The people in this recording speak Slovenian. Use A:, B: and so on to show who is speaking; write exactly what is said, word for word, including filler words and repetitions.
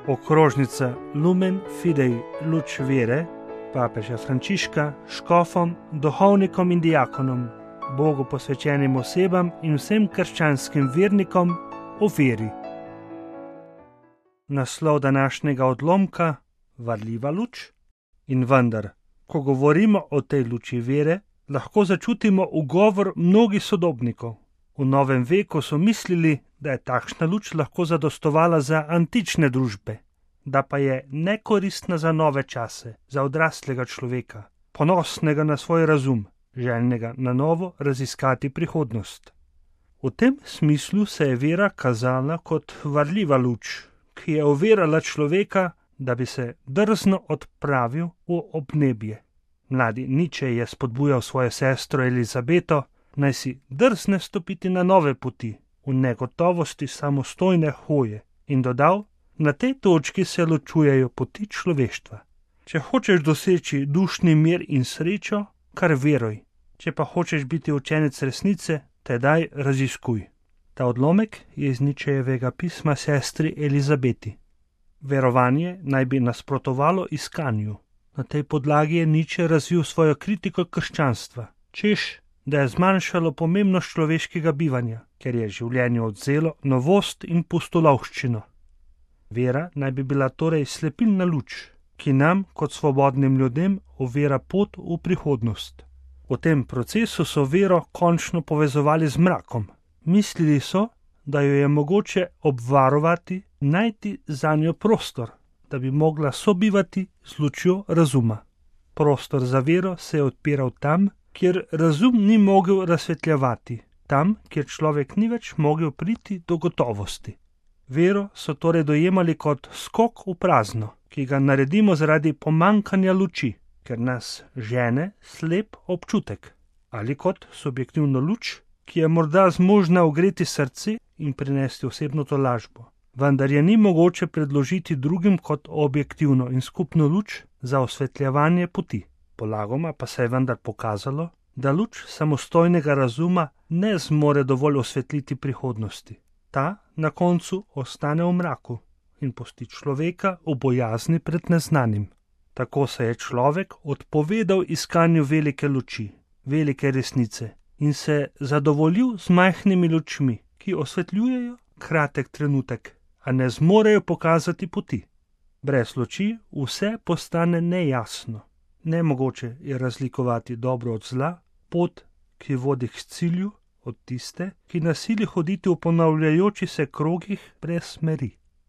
A: okrožnica Lumen Fidei luč vere papeža Frančiška škofom, duhovnikom in diakonom, Bogu posvečenim osebam in vsem krščanskim vernikom o veri. Naslov današnjega odlomka: varljiva luč. In vendar, ko govorimo o tej luči vere, lahko začutimo ugovor mnogih sodobnikov. V novem veku so mislili, da je takšna luč lahko zadostovala za antične družbe, da pa je nekoristna za nove čase, za odraslega človeka, ponosnega na svoj razum, željnega na novo raziskati prihodnost. V tem smislu se je vera kazala kot varljiva luč, ki je ovirala človeka, da bi se drzno odpravil v obnebje. Mladi Nietzsche je spodbujal svojo sestro Elizabeto, naj si drzne stopiti na nove poti, v negotovosti samostojne hoje, in dodal: na tej točki se ločujejo poti človeštva. Če hočeš doseči dušni mir in srečo, kar veruj. Če pa hočeš biti učenec resnice, tedaj raziskuj. Ta odlomek je iz Nietzschejevega pisma sestri Elizabeti. Verovanje naj bi nasprotovalo iskanju. Na tej podlagi je Nietzsche razvil svojo kritiko krščanstva, češ, da je zmanjšalo pomembnost človeškega bivanja, ker je življenju odvzelo novost in pustolovščino. Vera naj bi bila torej slepilna luč, ki nam, kot svobodnim ljudem, ovira pot v prihodnost. V tem procesu so vero končno povezovali z mrakom. Mislili so, da jo je mogoče obvarovati, najti zanjo prostor, da bi mogla sobivati z lučjo razuma. Prostor za vero se je odpiral tam, kjer razum ni mogel razsvetljevati, tam, kjer človek ni več mogel priti do gotovosti. Vero so torej dojemali kot skok v prazno, ki ga naredimo zaradi pomankanja luči, ker nas žene slep občutek, ali kot subjektivno luč, ki je morda zmožna ogreti srce in prinesti osebno tolažbo, vendar je ni mogoče predložiti drugim kot objektivno in skupno luč za osvetljevanje poti. Polagoma pa se je vendar pokazalo, da luč samostojnega razuma ne zmore dovolj osvetliti prihodnosti. Ta na koncu ostane v mraku in pusti človeka v bojazni pred neznanim. Tako se je človek odpovedal iskanju velike luči, velike resnice in se zadovoljil z majhnimi lučmi, ki osvetljujejo kratek trenutek, a ne zmorejo pokazati poti. Brez luči vse postane nejasno. Nemogoče je razlikovati dobro od zla, pot, ki vodi k cilju, od tiste, ki nas sili hoditi v ponavljajoči se krogih brez smeri.